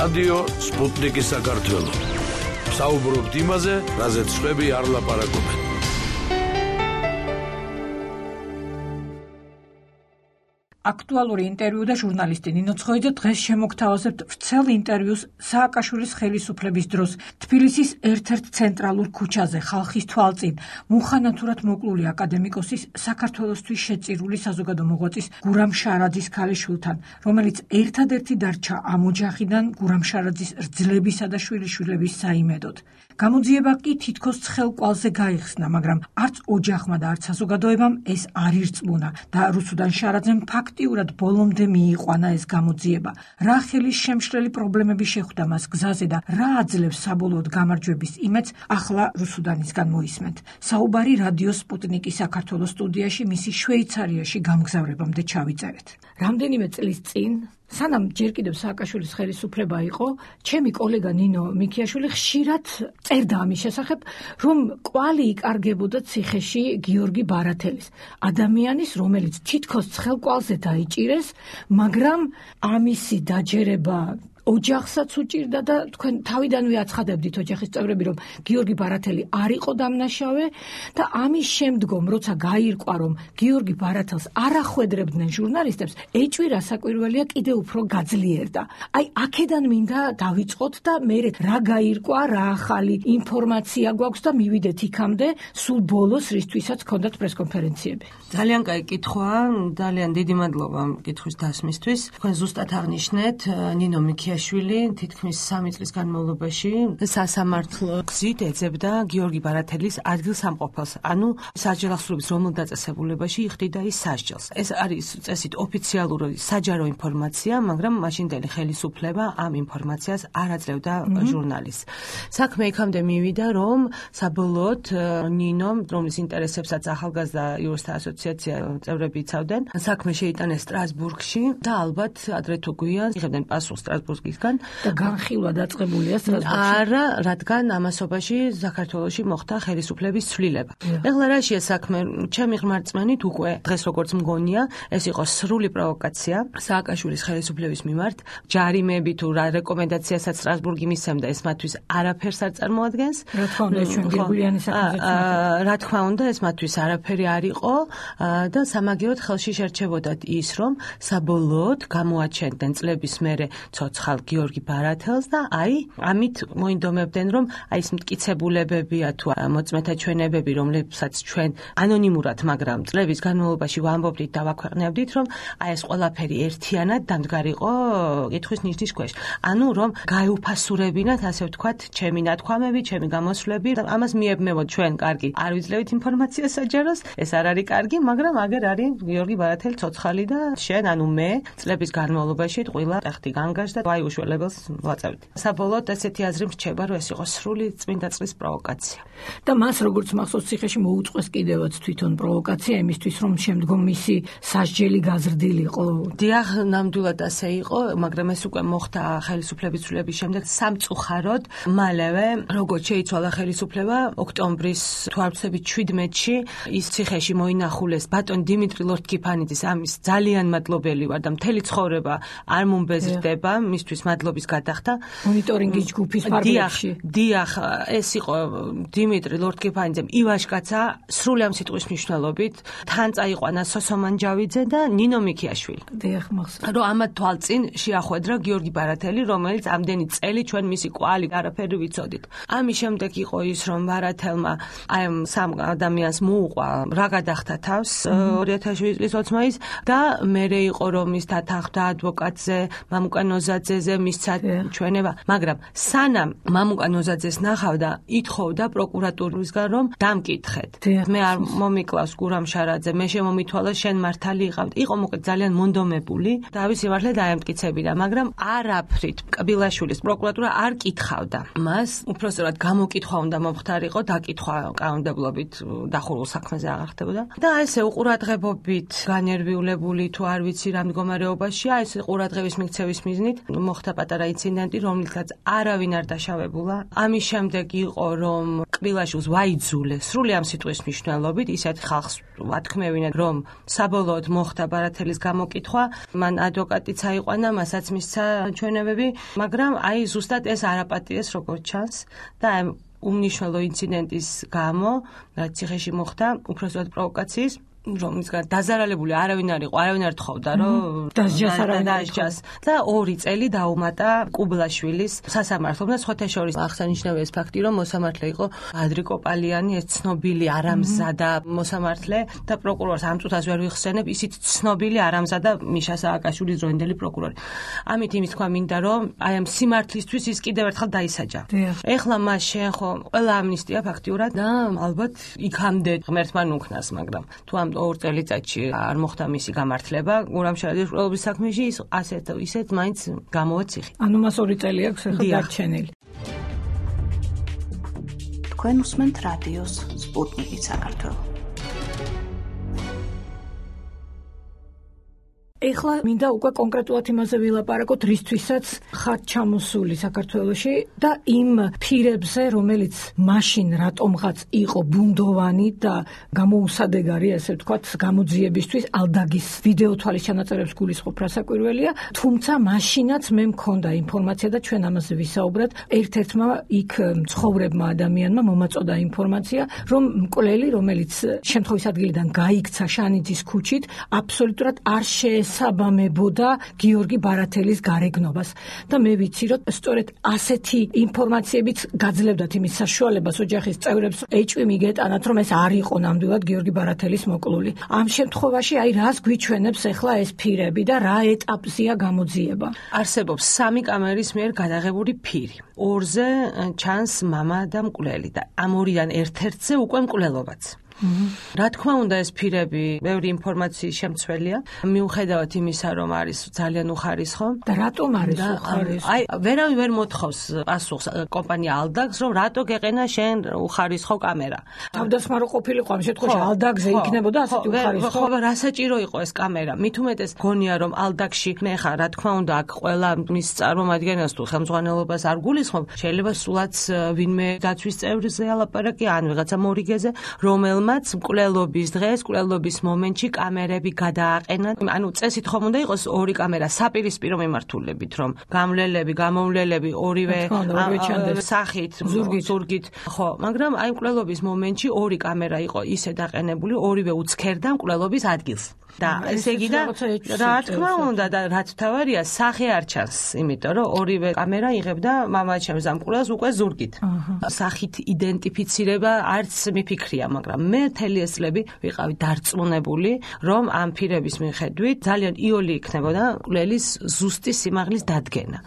რადიო სპუტნიკი საქართველო. საუბრობთ იმაზე, რაზეც სხვები არ ლაპარაკობენ. აქტუალური ინტერვიუ და ჟურნალისტი ნინო ცხოიძე დღეს შემოგთავაზებთ ვრცელ ინტერვიუს სააკაშვილის ხელისუფლების დროს თბილისის ერთ-ერთ ცენტრალურ ქუჩაზე ხალხის თვალწინ მუხანათურად მოკლული აკადემიკოსის საქართველოსთვის შეწირული საზოგადო მოღვაწის გურამ შარაძის ქალიშვილთან, რომელიც ერთადერთი დარჩა ამ ოჯახიდან გურამ შარაძის რძლებისა და შვილიშვილების საიმედოდ. გამოძიება კი თითქოს ცხელყვალზე გაიხსნა, მაგრამ არც ოჯახმა და არც საზოგადოებამ ეს არ ირწმუნა და რუსუდან შარაძემ ფაქტიურად ბოლომდე მიიყვანა ეს გამოძიება. რა ხელის შემშლელი პრობლემები შეხვდა მას გზაზე და რა აძლევს საბოლოოდ გამარჯვების იმედს, ახლა რუსუდანისგან მოისმენთ. საუბარი რადიო სპუტნიკი საქართველოს სტუდიაში მისი შვეიცარიაში გამგზავრებამდე ჩავიწერეთ. რამდენიმე წლის წინ სანამ ჯერ კიდევ სააკაშვილის ხელისუფლება იყო, ჩემი კოლეგა ნინო მიქიაშვილი ხშირად წერდა ამის შესახებ, რომ კვალი იკარგებოდა ციხეში გიორგი ბარათელის, ადამიანის, რომელიც თითქოს ცხელყვალზე დაიჭირეს, მაგრამ ამისი დაჯერება ოჯახსაც უჭირდა და თქვენ თავიდანვე აცხადებდით ოჯახის წევრები, რომ გიორგი ბარათელი არ იყო დამნაშავე და ამის შემდგომ, როცა გაირკვა, რომ გიორგი ბარათელს არ ახვედრებდნენ ჟურნალისტებს, ეჭვირა საკვირველია კიდე უფრო გაძლიერდა. აი, აქედან მინდა დავიწყოთ და მე რა გაირკვა, რა ახალი ინფორმაცია გვაქვს და მივიდეთ იქამდე, სულ ბოლოს, რისთვისაც ჰქონდათ პრესკონფერენციები. ძალიან კაი კითხვაა, ძალიან დიდი მადლობა კითხვის დასმისთვის. თქვენ ზუსტად აღნიშნეთ, ნინო მიქიაშვილი თითქმის 3 წლის განმავლობაში სასამართლო გზით ეძებდა გიორგი ბარათელის ადგილსამყოფელს, ანუ საჯელახსოვრების რომელ დაწესებულებაში იხდიდა ის სასჯელს. ეს არის წესით ოფიციალური საჯარო ინფორმაცია, მაგრამ მაშინდელი ხელისუფლება ამ ინფორმაციას არ აძლევდა ჟურნალისტს. საქმე იქამდე მივიდა, რომ საბოლოოდ ნინომ, რომლის ინტერესებსაც ახალგაზრდა იურისტთა ასოციაცია წევრები იცავდნენ, საქმე შეიტანეს სტრასბურგში და ალბათ ადრე თუ გვიან იღებდნენ პასუხს სტრასბურგისგან და განხილვა დაწყებულია სტრასბურგში. არა, რადგან ამასობაში საქართველოში მოხდა ხელისუფლების ცვლილება. ეხლა რაშია საქმე? ჩემი ღმერთწმენით უკვე დღეს როგორც მგონია, ეს იყო სრული პროვოკაცია სააკაშვილის ხელისუფლების მიმართ. ჯარიმები თუ რა რეკომენდაციასაც სტრასბურგი მისცემდა, ეს მათთვის არაფერს არ წარმოადგენს. რა თქმა უნდა, ჩვენ გერგულიანი საქმეზე. რა თქმა უნდა, ეს მათთვის არაფერი არ იყო და სამაგიეროდ ხელში შერჩებოდათ ის, რომ საბოლოოდ გამოაჩენდნენ წლების მერე ცოცხალ გიორგი ბარათელს და აი, ამით მოინდომებდნენ, რომ აი ეს მტკიცებულებებია თუ მოწმეთა ჩვენებები, რომლებსაც ჩვენ ანონიმურად, მაგრამ წლების განმავლობაში ვამბობდით და ვაქვეყნებდით, რომ აი ეს ყველაფერი ერთიანად დამდგარიყო კითხვის ნიშნის ქვეშ. ანუ რომ გაეუფასურებინათ, ასე ვთქვათ, ჩემი ნათქვამები, ჩემი გამოსვლები, ამას მიებმევოთ ჩვენ კარგი. არ ვიძლევით ინფორმაციას საჯაროს, ეს არ არის კარგი, მაგრამ აგერ არის გიორგი ბარათელი ცოცხალი და შენ, ანუ მე, წლების განმავლობაში ტყუილა ტახტი განგაშ და აი უშველებელს ვაწევთ. საბოლოოდ ესეთი აზრი მრჩება, რომ ეს იყო სრული წმინდა წლის პროვოკაცია. და მას როგორც მახსოვს ციხეში მოუწყვეს კიდევაც თვითონ პროვოკაცია იმისთვის, რომ შემდგომ მისი სასჯელი გაზრდილიყო. დიახ, ნამდვილად ასე იყო, მაგრამ ეს უკვე მოხდა ხელისუფლების ცვლილების შემდეგ სამწუხაროდ. მალევე, როგორც შეიცვალა ხელისუფლება, ოქტომბრის თუ არ ვცდები 17-ში ის ციხეში მოინახულეს ბატონ დიმიტრი ლორთქიფანიძის, ამის ძალიან მადლობელი ვარ და მთელი ცხოვრება არ მომბეზრდება მისთვის მადლობის გადახდა. მონიტორინგის ჯგუფის ფარგლებში. დიახ, ეს იყო დიმიტრი ლორთქიფანიძემ ივაშკაცა სრული ამ სიტყვის მნიშვნელობით, თან წაიყვანა სოსო მანჯავიძე და ნინო მიქიაშვილი. დიახ, მახსოვს. რომ ამათ თვალწინ შეახვედრა გიორგი ბარათელი, რომელიც ამდენი წელი ჩვენ მისი კვალი არაფერი ვიცოდით. ამის შემდეგ იყო ის, რომ ბარათელმა აი ამ სამ ადამიანს მოუყვა რა გადახდა თავს 2007 წლის 20 მაისს და მერე იყო რომ ის დათანხმდა ადვოკატზე, მამუკა ნოზაძეზე მისცა ჩვენება, მაგრამ სანამ მამუკა ნოზაძეს ნახავდა, ითხოვდა პროკურატურისგან რომ დამკითხეთ. მე არ მომიკლავს გურამ შარაძე, მე შემომითვალა შენ მართალი იყავ. იყო მოკლედ ძალიან მონდომებული და ამის სიმართლე დაემტკიცებინა, მაგრამ არაფრით კბილაშვილის პროკურატურა არ კითხავდა. მას უпроსტად გამოკითხვა უნდა მომხდარიყო, დაკითხვა კანონმდებლობით დახურულ საქმეზე აღარ ხდებოდა. და ესე უყურადღებობით განერვიულებული თუ არ ვიცი რა მდგომარეობაშია, ეს ყურადღების მიქცევის მიზნით მოხდა პატარა ინციდენტი, რომლითაც არავინ არ დაშავებულა. ამის შემდეგ იყო, რომ კბილაშვილს ვაიძულეს სრული ამ სიტყვის მნიშვნელობით ისეთ ხალხს ვათქმევინა, რომ საბოლოოდ მოხდა ბარათელის გამოკითხვა, მან ადვოკატიც აიყვანა, მასაც მისცა ჩვენებები, მაგრამ აი ზუსტად ეს არაპატიეს როგორც ჩანს და უმნიშვნელო ინციდენტის გამო, რაც ციხეში მოხდა, უბრალოდ პროვოკაციის რომლისგან დაზარალებული არავინ არ იყო, არავინ არ თხოვდა, რომ დასჯას და 2 წელი დაუმატა კუბლაშვილის სასამართლომ და სხვათა შორის აღსანიშნავია ეს ფაქტი, რომ მოსამართლე იყო ადრიკო პალიანი, ეს ცნობილი არამზადა მოსამართლე და პროკურორს ამ წუთას ვერ ვიხსენებ, ისიც ცნობილი არამზადა მიშა სააკაშვილის დროინდელი პროკურორი. ამით იმის თქვა მინდა, რომ აი ამ სიმართლისთვის ის კიდევ ერთხელ დაისაჯა. ეხლა მას შეეხო ყველა ამნისტია ფაქტიურად და ალბათ იქამდე ღმერთმა ნუქნას, მაგრამ თუ ამ 2 წელიწადში არ მოხდა მისი გამართლება გურამშარაძის პრობლემის საქმეში ის ისეთ მაინც გამოვა ციხე. ანუ მას 2 წელი აქვს ახლა დარჩენილი. თქვენ უსმენთ რადიოს სპუტნიკი საქართველო. ეხლა მინდა უკვე კონკრეტულად იმაზე ვილაპარაკოთ, რისთვისაც ხართ ჩამოსული საქართველოში და იმ ფირებზე, რომელიც მაშინ რატომღაც იყო ბუნდოვანი და გამოუსადეგარი, ასე ვთქვათ, გამოძიებისთვის ალდაგის ვიდეო თვალის ჩანაწერებს გულისხმობ რასაკვირველია, თუმცა მაშინაც მე მქონდა ინფორმაცია და ჩვენ ამაზე ვისაუბრეთ, ერთ-ერთმა იქ მცხოვრებმა ადამიანმა მომაწოდა ინფორმაცია, რომ მკვლელი, რომელიც შემთხვევის ადგილიდან გაიქცა შანიძის ქუჩით, აბსოლუტურად არ საბამებოდა გიორგი ბარათელის გარეგნობას და მე ვიცი, რომ სწორედ ასეთი ინფორმაციებიც გაძლევდათ იმის საშუალებას ოჯახის წევრებს ეჭვი მიგეტანათ, რომ ეს არ იყო ნამდვილად გიორგი ბარათელის მოკლული. ამ შემთხვევაში აი რას გვიჩვენებს ახლა ეს ფირები და რა ეტაპზეა გამოძიება? არსებობს 3 კამერის მიერ გადაღებული ფირი. 2-ზე ჩანს მამა და მკვლელი და ამ 2-დან ერთ-ერთზე უკვე მკვლელობაც. რა თქმა უნდა ეს ფირები ბევრი ინფორმაციის შემცველია, მიუხედავად იმისა, რომ არის ძალიან უხარისხო. და რატომ არის უხარისხო? აი, ვერავინ ვერ მოთხოვს პასუხს კომპანია ალდაგს, რომ რატო გეყენა შენ უხარისხო კამერა. თავდასხმა რო ყოფილიყო ამ შემთხვევაში ალდაგზე იქნებოდა ასეთი უხარისხო. ხო, რა საჭირო იყო ეს კამერა? მით უმეტეს გონია, რომ ალდაგში მე ხა რა თქმა უნდა აქ ყველა მის წარმომადგენელს თუ ხელმძღვანელობას არ გულისხმობ, შეიძლება სულაც ვინმე დაცვის წევრზე ალაპარაკი ან ვიღაცა მორიგეზე, რომელმაც მკვლელობის დღეს, მკვლელობის მომენტში კამერები გადააყენა. ანუ წესით ხომ უნდა იყოს 2 კამერა საპირისპირო მიმართულებით, რომ გამვლელები, გამომვლელები ორივე სახით, ზურგით. ხო, მაგრამ აი მკვლელობის მომენტში 2 კამერა იყო ისე დაყენებული, ორივე უცქერდა მკვლელობის ადგილს. და ესე იგი და რა თქმა უნდა და რაც თავარია სახე არ ჩანს, იმიტომ რომ ორივე კამერა იღებდა მამაჩემს ამ მკვლელს უკვე ზურგით. სახით იდენტიფიცირება არც მიფიქრია, მაგრამ მე მთელი ეს წლები ვიყავი დარწმუნებული, რომ ამ ფირების მიხედვით ძალიან იოლი იქნებოდა მკვლელის ზუსტი სიმაღლის დადგენა.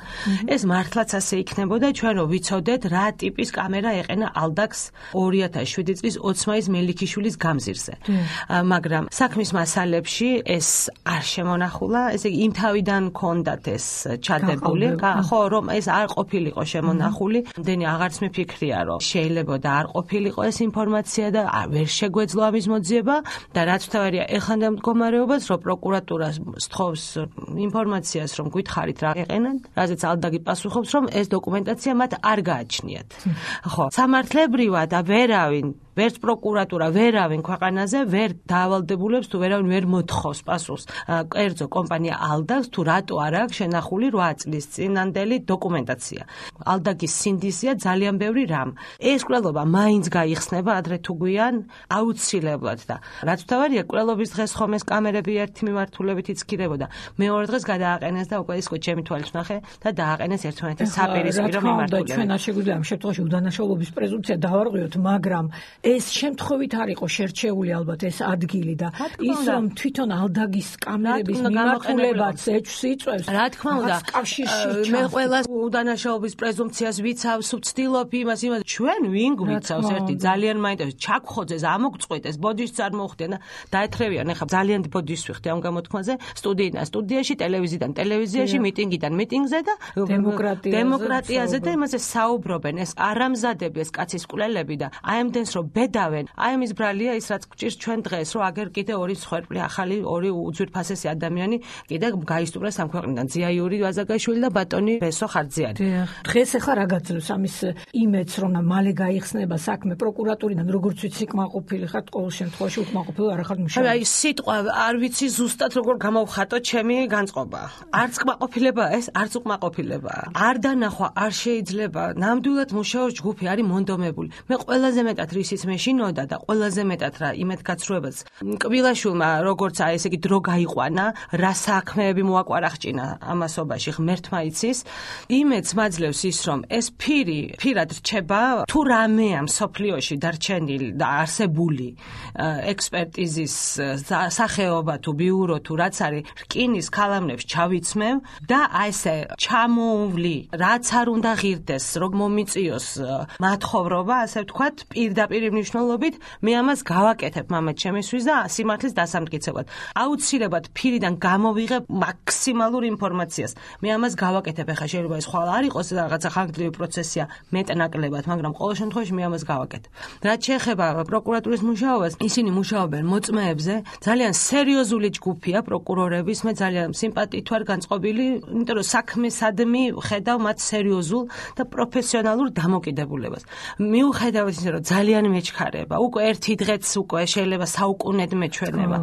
ეს მართლაც ასე იქნებოდა, ჩვენ რო ვიცოდეთ რა ტიპის კამერა ეყენა ალდაგს 2007 წლის 20 მელიქიშვილის გამზირზე. მაგრამ საქმის მასალებში ეს არ შემონახულა, ესე იგი იმ თავიდან ქონდათ ეს ჩადებული, ხო, რომ ეს არ ყოფილიყო შემონახული, მდენი აღარც მიფიქრია, რომ შეიძლება და არ ყოფილიყო ეს ინფორმაცია და ვერ შეგვეძლო ამის მოძიება და რაც თავარია ეხანდელ მდგომარეობას, რომ პროკურატურა სთხოვს ინფორმაციას, რომ გითხარით რა ეყენან, რაზეც ალდაგი პასუხობს, რომ ეს დოკუმენტაცია მათ არ გააჩნიათ. ხო, სამართლებრივად და ვერავინ ვერც პროკურატურა, ვერავინ ქვეყანაზე ვერ დაავალდებულებს თუ ვერავინ ვერ მოთხოვს პასუხს კერძო კომპანია ალდაგს თუ რატო არ აქვს შენახული 8 წლის წინანდელი დოკუმენტაცია. ალდაგის სინდისია ძალიან ბევრი რამ. ეს კვლელობა მაინც გაიხსნება ადრე თუ გვიან აუცილებლად და რაც თავარია კვლელობის დღეს ხომ ეს კამერები ერთი მიმართულებით იცქირებოდა. მეორე დღეს გადააყენეს და უკვე ის ჩემი თვალით ვნახე და დააყენეს ერთმანეთის საპირისპირო მიმართულებით. ჩვენ არ შეგვიძლია ამ შემთხვევაში უდანაშაულობის პრეზუმპცია დავარღვიოთ, მაგრამ ეს შემთხვევით არ იყო შერჩეული ალბათ ეს ადგილი და ის რომ თვითონ ალდაგის კამერების მიმართულებაც ეჭვს იწვევს. რა თქმა უნდა, მე ყველას უდანაშაულობის პრეზუმპციას ვიცავს, ვცდილობ იმას, ჩვენ ვინ გვიცავს ერთი ძალიან მაინტერესებს ჩაკხოძეს, ამოგწყვეტეს, ბოდიშს არ მოხდენ და დაეთრევიან ახლა ძალიან ბოდიშს ვიხდი ამ გამოთქმაზე, სტუდიიდან სტუდიაში, ტელევიზიიდან ტელევიზიაში, მიტინგიდან მიტინგზე და დემოკრატიაზე და იმაზე საუბრობენ ეს არამზადები ეს კაცის კვლელები და აი ამდენს რომ ბედავენ. აი ამის ბრალია ის რაც გვჭირს ჩვენ დღეს, რომ აგერ კიდე ორი მსხვერპლი, ახალი ორი უძვირფასესი ადამიანი კიდე გაისტუმრეს ამ ქვეყნიდან. ზიაიური ვაზაგაშვილი და ბატონი ბესო ხარძიანი. დღეს ახლა რა გაძლევს ამის იმედს, რომ მალე გაიხსნება საქმე პროკურატურიდან, როგორც ვიცი, კმაყოფილი ხართ ყოველ შემთხვევაში, უკმაყოფილი არ ხართ მუშაობ. აი სიტყვა არ ვიცი ზუსტად როგორ გამოვხატო ჩემი განწყობა. არც კმაყოფილება ეს, არც უკმაყოფილებაა. არ დანახვა არ შეიძლება. ნამდვილად მუშაობს ჯგუფი არის მონდომებული. მე ყველაზე მეტად რისიც მეშინოდა და ყველაზე მეტად რა იმედგაცრუებაც კბილაშვილმა როგორც აი ესე იგი დრო გაიყვანა, რა საქმეები მოაკვარახჭინა ამასობაში ღმერთმა იცის. იმედს მაძლევს ის რომ ეს ფირად რჩება თუ რამეა მსოფლიოში დარჩენილი და არსებული ექსპერტიზის სახეობა თუ ბიურო თუ რაც არის რკინის ქალამნებს ჩავიცმევ და აი ესე ჩამოვლი რაც არ უნდა ღირდეს რომ მომიწიოს მათხოვრობა ასე ვთქვათ პირდაპირ მნიშვნელობით მე ამას გავაკეთებ მამად ჩემისთვის და სიმართლის დასამტკიცებლად აუცილებლად ფირიდან გამოვიღებ მაქსიმალურ ინფორმაციას მე ამას გავაკეთებ ახლა შეიძლება ეს ხვალ არ იყოს რაღაცა ხანგრძლივი პროცესია მეტნაკლებად მაგრამ ყოველ შემთხვევაში მე ამას გავაკეთებ რაც შეეხება პროკურატურის მუშაობას ისინი მუშაობენ მოწმეებზე ძალიან სერიოზული ჯგუფია პროკურორების მე ძალიან სიმპათიით ვარ განწყობილი იმიტომ რომ საქმესადმი ხედავ მათ სერიოზულ და პროფესიონალურ დამოკიდებულებას მიუხედავად ისე რომ ძალიან მეჩქარება უკვე ერთი დღეც უკვე შეიძლება საუკუნედ მეჩვენება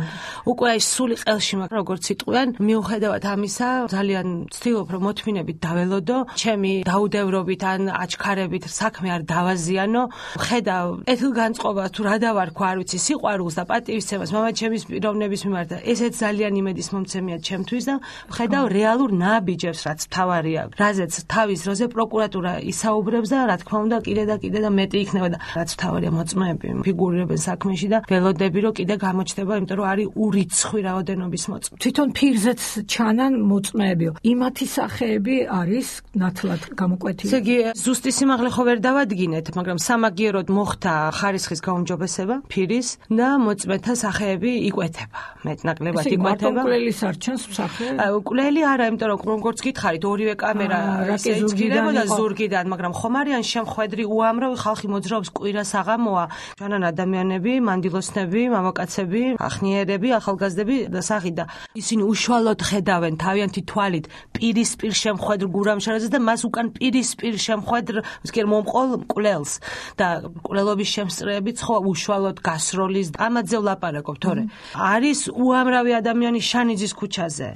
უკვე აი სული ყელში მაქვს როგორც იტყვიან მიუხედავად ამისა ძალიან ვცდილობ რომ მოთმინებით დაველოდო ჩემი დაუდევრობით ან აჩქარებით საქმე არ დავაზიანო ხედავ ეთილგანწყობა თუ რა დავარქვა არ ვიცი სიყვარულს და პატივისცემას მამაჩემის პიროვნების მიმართ ესეც ძალიან იმედის მომცემია ჩემთვის და ხედავ რეალურ ნაბიჯებს რაც თავარია რაზეც თავის როზე პროკურატურა ისაუბრებს და რა თქმა უნდა კიდე და მეტი იქნება და რაც თავარია მოწმეები ფიგურირებენ საქმეში და ველოდები რომ კიდე გამოჩნდება იმიტომ რომ არის ურიცხვი რაოდენობის მოწმე თვითონ ფირზეც ჩანან მოწმეებიო იმათი სახეები არის ნათლად გამოკვეთილი ესე იგი ზუსტი სიმაღლე ხო ვერ დავადგინეთ მაგრამ სამაგიეროდ მოხდა ხარისხის გაუმჯობესება ფირის და მოწმეთა სახეები იკვეთება მეტნაკლებად იკვეთება კვლელის არჩენს სახე კვლელი არა იმიტომ რომ როგორც გითხარით ორივე კამერა ეცქირებოდა ზურგიდან მაგრამ ხომ არიან შემხვედრი უამრავი ხალხი მოძრაობს კვირა საღამოა ჩვენან ადამიანები მანდილოსნები მამაკაცები ახნიერები ახალგაზრდები და სახი და ისინი უშუალოდ ხედავენ თავიანთი თვალით პირისპირ შემხვედრ გურამშარაძეს და მას უკან პირისპირ შემხვედრ მსკერ მომყოლ კვლელს და კვლელობის შემსწრეები ხო უშუალოდ გასროლის ამაზე ვლაპარაკობ თორე არის უამრავი ადამიანი შანიძის ქუჩაზე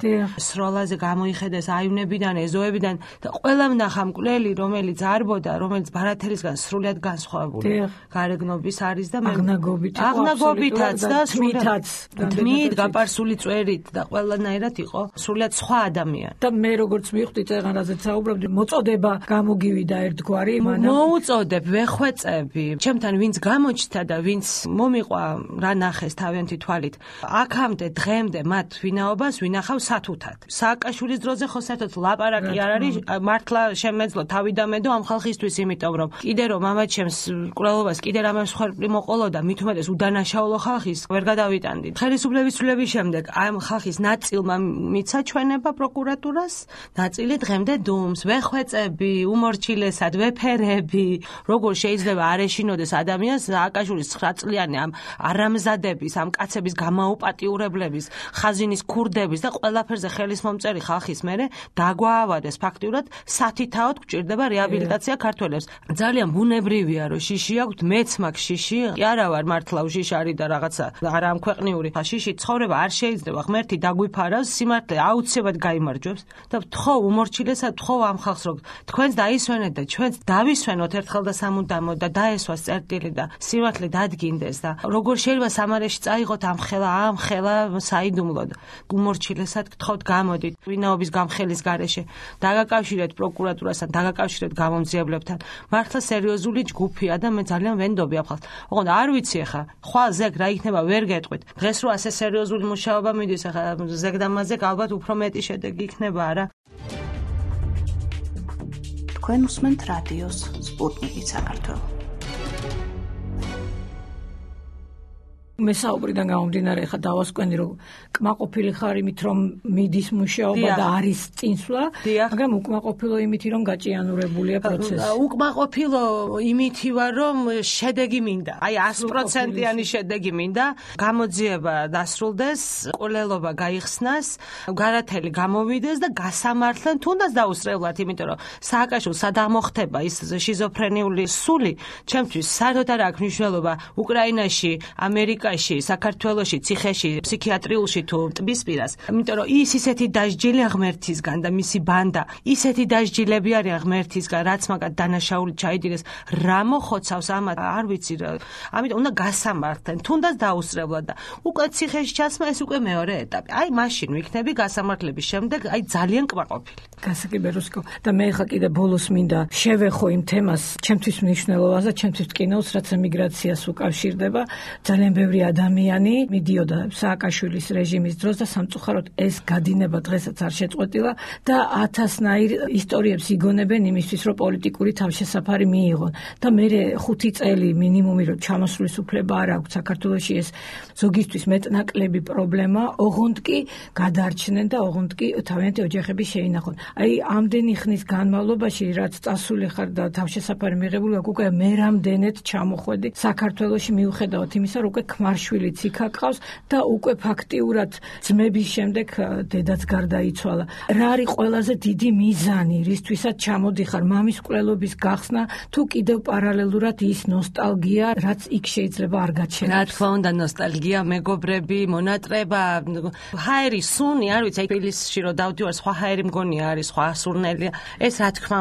სროლაზე გამოიხედეს აივნებიდან ეზოებიდან და ყველამ ნახა მკვლელი რომელიც არბოდა რომელიც ბარათელისგან სრულად განსხვავებული გარეგნობის არის და აღნაგობითაც და თმით გაპარსული წვერით და ყველანაირად იყო სრულად სხვა ადამიანი და მე როგორც მივხვდით ეხლა რაზეც საუბრობდი მოწოდება გამოგივიდა ერთგვარი მოუწოდებ ვეხვეწები ჩემთან ვინც გამოჩნდა და ვინც მომიყვა რა ნახეს თავიანთი თვალით აქამდე დღემდე მათ ვინაობას ვინახავ სათუთად სააკაშვილის დროზე ხო საერთოდ ლაპარაკი არ არის მართლა შემეძლო თავიდამედო ამ ხალხისთვის იმიტომ რომ კიდე რომ მამაჩემს კვლელობას კიდე რამე მსხვერპლი მოყოლოდა მით უმეტეს უდანაშაულო ხალხის ვერ გადავიტანდით ხელისუფლების ცვლილების შემდეგ ამ ხალხის ნაწილმა მიცა ჩვენება პროკურატურას ნაწილი დღემდე დუმს ვეხვეწები უმორჩილესად ვეფერები როგორ შეიძლება არ ეშინოდეს ადამიანს სააკაშვილის 9 წლიანი ამ არამზადების ამ კაცების გამაუპატიურებლების ხაზინის ქურდების და ყველაფერზე ხელის მომწერი ხალხის მერე დაგვაავადეს ფაქტიურად სათითაოდ გვჭირდება რეაბილიტაცია ქართველებს ძალიან ბუნებრივია რომ შიში აქვთ მეც მაქვს შიში კი არა ვარ მართლა უშიშარი და რაღაცა არა ამ ქვეყნიური შიში ცხოვრება არ შეიძლება ღმერთი დაგვიფარავს სიმართლე აუცილებლად გაიმარჯვებს და ვთხოვ უმორჩილესად ვთხოვ ამ ხალხს რომ თქვენს დაისვენეთ და ჩვენც დავისვენოთ ერთხელ და სამუდამოდ და დაესვას წერტილი და სიმართლე დადგინდეს და როგორ შეიძლება სამარეში წაიღოთ ამ ხელა საიდუმლოდ უმორჩილესად გთხოვთ გამოდით ვინაობის გამხელის გარეშე დაგაკავშირეთ პროკურატურასთან დაგაკავშირეთ გამომძიებლებთან მართლა სერიოზული ჯგუფია და მე ძალიან ვენდობი ამ ხალხს ოღონდ არ ვიცი ახლა ხვალ ზეგ რა იქნება ვერ გეტყვით დღეს რო ასე სერიოზული მუშაობა მიდის ახლა ზეგ და მასზე ალბათ უფრო მეტი შედეგი იქნება არა თქვენ უსმენთ რადიოს სპუტნიკი საქართველოს მესაუბრიდან გამომდინარე ხა დავასკვენი რომ კმაყოფილი ხარ იმით რომ მიდის მუშაობა და არის წინსვლა, მაგრამ უკმაყოფილო იმით რომ გაჭიანურებულია პროცესი. უკმაყოფილო იმით ვარ რომ შედეგი მინდა. აი 100%-იანი შედეგი მინდა. გამოძიება დასრულდეს, ყოლელობა გაიხსნას, გარათელი გამოვიდეს და გასამართლენ თუნდაც დაუსწრებლად, იმიტომ რომ სააკაშვილს სადაღ მოხდება ის შიზოფრენიული სული, ჩემთვის საერთოდ არ აქვს მნიშვნელობა უკრაინაში, ამერიკაში, საქართველოში, ციხეში, ფსიქიატრიულში თუ ტბისპირას. იმიტომ რომ ის ისეთი დასჯილი ღმერთისგან და მისი ბანდა, ისეთი დასჯილები არიან ღმერთისგან, რაც მაგათ დანაშაული ჩაიდინეს, რა მოხოცავს ამათ, არ ვიცი რა. ამიტომ უნდა გასამართლენ, თუნდაც დაუსწრებლად და უკვე ციხეში ჩასმა ეს უკვე მეორე ეტაპი. აი მაშინ ვიქნები გასამართლების შემდეგ, აი ძალიან კმაყოფილი. გასაგებეროსკო და მე ხა კიდე ბოლოს მინდა შევეხო იმ თემას, ჩემთვის მნიშვნელოვანს და ჩემთვის ტკინავს, რაც ემიგრაციას უკავშირდება. ძალიან ბევრი ადამიანი მიდიოდა სააკაშვილის რეჟიმის დროს და სამწუხაროდ ეს გადინება დღესაც არ შეწყვეტილა და 1000-ნაირ ისტორიებს იგონებენ იმისთვის, რომ პოლიტიკური თავშესაფარი მიიღონ. და მე 5 წელი მინიმუმი რომ ჩამოსვლის უფლება არ აქვს საქართველოში, ეს ზოგისთვის მეტნაკლები პრობლემა, ოღონდ კი გადარჩნენ და ოღონდ კი თავიანთი ოჯახები შეინახონ. აი ამდენი ხნის განმავლობაში რაც წასული ხარ და თავშესაფარი მიღებული აქვს, უკვე მე რამდენად ჩამოხვედი საქართველოში მიუხედავად იმისა, რომ უკვე ქმარშვილიც იქ აკყავს და უკვე ფაქტიურად ძმების შემდეგ დედაც გარდაიცვალა. რა არის ყველაზე დიდი მიზანი, რისთვისაც ჩამოდიხარ, მამის მკვლელობის გახსნა თუ კიდევ პარალელურად ის ნოსტალგია, რაც იქ შეიძლება არ გაჩნდეს? რა თქმა უნდა, ნოსტალგია, მეგობრები, მონატრება, ჰაერი, სუნი, არ ვიცი, თბილისში რომ დავდივარ, სხვა ჰაერი მგონია არის, სხვა სურნელია. ეს რა თქმა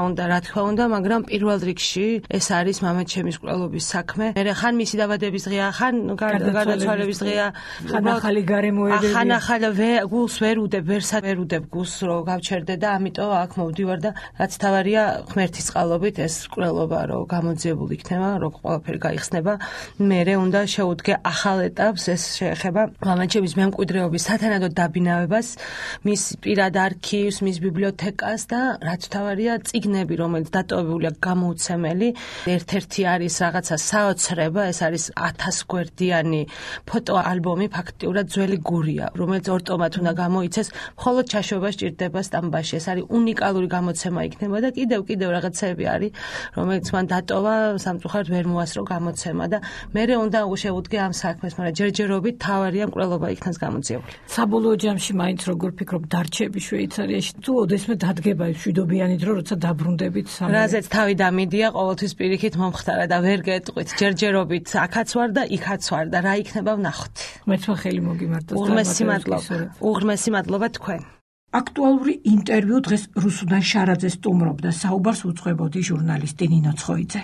უნდა, მაგრამ პირველ რიგში ეს არის მამაჩემის მკვლელობის საქმე. მე ხან მისი დაბადების დღეა, ხან გარდაცვალების დღეა, ხან ახალი გარემოებები. ხან ახალი გულს ვერ უდებ გულს რომ გავჩერდე და ამიტომ აქ მოვდივარ და რაც თავარია ღმერთის წყალობით ეს მკვლელობა რომ გამოძიებული იქნება, რომ ყველაფერი გაიხსნება. მერე უნდა შეუდგე ახალ ეტაპს, ეს შეეხება მამაჩემის მემკვიდრეობის სათანადო დაბინავებას, მის პირად არქივს, მის ბიბლიოთეკას და რაც თავარია წიგნები, რომელიც დატოვებულია გამოუცემელი. ერთ-ერთი არის რაღაცა საოცრება, ეს არის 1000 გვერდიანი ფოტოალბომი, ფაქტიურად ძველი გურია, რომელიც ორტომად უნდა გამოიცეს, მხოლოდ ჩაშვება სჭირდება სტამბაში. ეს არის უნიკალური გამოცემა იქნება და კიდევ რაღაცები არის, რომელიც მან დატოვა, სამწუხაროდ ვერ მოასწრო გამოცემა და მე უნდა შეუდგე ამ საქმეს, მაგრამ ჯერჯერობით თავარია მკვლელობა იქნას გამოძიებული. საბოლოო ჯამში მაინც როგორ ფიქრობ დარჩები შვეიცარიაში თუ ოდესმე დადგება მშვიდობიანი დრო, როცა დაბრუნდებით სამი? რაზეც თავი დამიდია, ყოველთვის პირიქით მომხდარა და ვერ გეტყვით, ჯერჯერობით აქაც ვარ და იქაც ვარ და რა იქნება ვნახოთ. მეც ხელი მოგიმართოს. უღრმესი მადლობა თქვენ. აქტუალური ინტერვიუ დღეს რუსუდან შარაძე სტუმრობდა, საუბარს უძღვებოდი ჟურნალისტი ნინო ცხოიძე.